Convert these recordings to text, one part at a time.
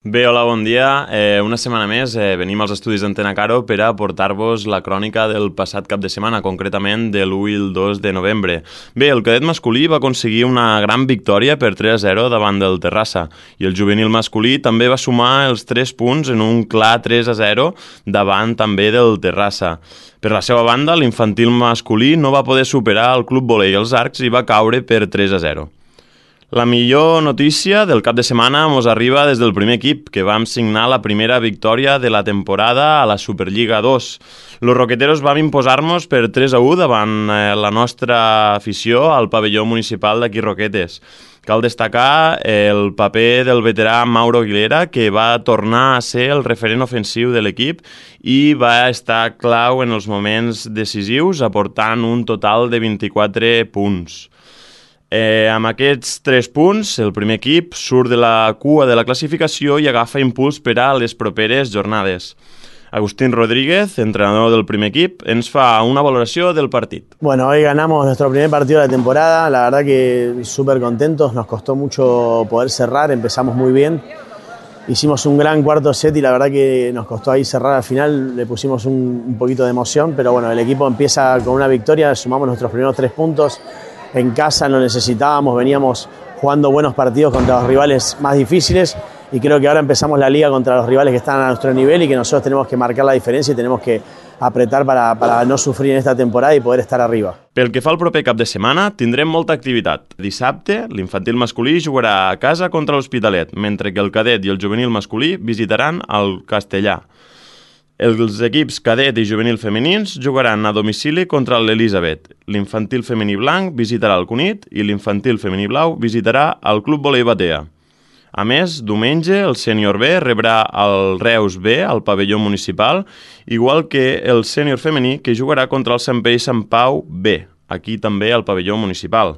Bé, hola, bon dia. Una setmana més venim als estudis d'Antena Caro per a portar-vos la crònica del passat cap de setmana, concretament de l'1 i el 2 de novembre. Bé, el cadet masculí va aconseguir una gran victòria per 3-0 davant del Terrassa i el juvenil masculí també va sumar els 3 punts en un clar 3-0 davant també del Terrassa. Per la seva banda, l'infantil masculí no va poder superar el Club Volei Els Arcs i va caure per 3-0. La millor notícia del cap de setmana mos arriba des del primer equip, que vam signar la primera victòria de la temporada a la Superliga 2. Los roqueteros vam imposar-nos per 3-1 davant la nostra afició al pavelló municipal d'aquí Roquetes. Cal destacar el paper del veterà Mauro Aguilera, que va tornar a ser el referent ofensiu de l'equip i va estar clau en els moments decisius, aportant un total de 24 punts. Amb aquests 3 punts, el primer equip surt de la cua de la classificació i agafa impuls per a les properes jornades. Agustín Rodríguez, entrenador del primer equip, ens fa una valoración del partido. Bueno, hoy ganamos nuestro primer partido de la temporada, la verdad que súper contentos, nos costó mucho poder cerrar, empezamos muy bien, hicimos un gran cuarto set y la verdad que nos costó ahí cerrar al final, le pusimos un poquito de emoción, pero bueno, el equipo empieza con una victoria, sumamos nuestros primeros 3 puntos, en casa lo necesitábamos, veníamos jugando buenos partidos contra los rivales más difíciles y creo que ahora empezamos la liga contra los rivales que están a nuestro nivel y que nosotros tenemos que marcar la diferencia y tenemos que apretar para no sufrir en esta temporada y poder estar arriba. Pel que fa al proper cap de setmana, tindrem molta activitat. Dissabte, l'infantil masculí jugarà a casa contra l'Hospitalet, mentre que el cadet i el juvenil masculí visitaran el Castellà. Els equips cadet i juvenil femenins jugaran a domicili contra l'Elisabet. L'infantil femení blanc visitarà el Cunit i l'infantil femení blau visitarà el Club Volei Batea. A més, diumenge el sènior B rebrà el Reus B al pavelló municipal, igual que el sènior femení que jugarà contra el Sant Pere i Sant Pau B, aquí també al pavelló municipal.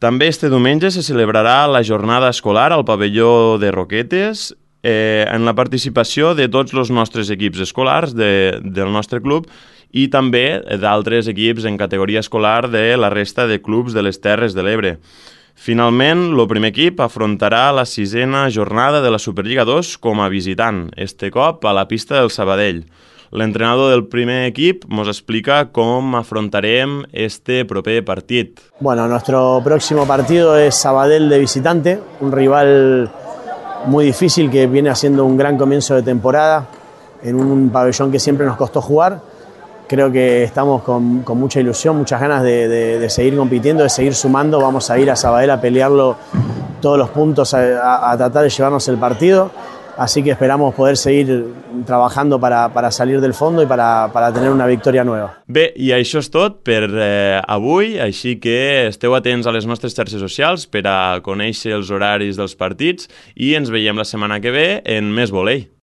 També este diumenge se celebrarà la jornada escolar al pavelló de Roquetes en la participació de tots els nostres equips escolars del nostre club i també d'altres equips en categoria escolar de la resta de clubs de les Terres de l'Ebre. Finalment, el primer equip afrontarà la 6a jornada de la Superliga 2 com a visitant, este cop a la pista del Sabadell. L'entrenador del primer equip ens explica com afrontarem este proper partit. Bueno, nuestro próximo partido es Sabadell de visitante, un rival muy difícil que viene haciendo un gran comienzo de temporada en un pabellón que siempre nos costó jugar. Creo que estamos con mucha ilusión, muchas ganas de seguir compitiendo, de seguir sumando. Vamos a ir a Sabadell a pelearlo todos los puntos, a tratar de llevarnos el partido. Así que esperamos poder seguir trabajando para salir del fondo y para tener una victòria nueva. Bé, i això és tot per avui, així que esteu atents a les nostres xarxes socials per a conèixer els horaris dels partits i ens veiem la setmana que ve en Més Volei.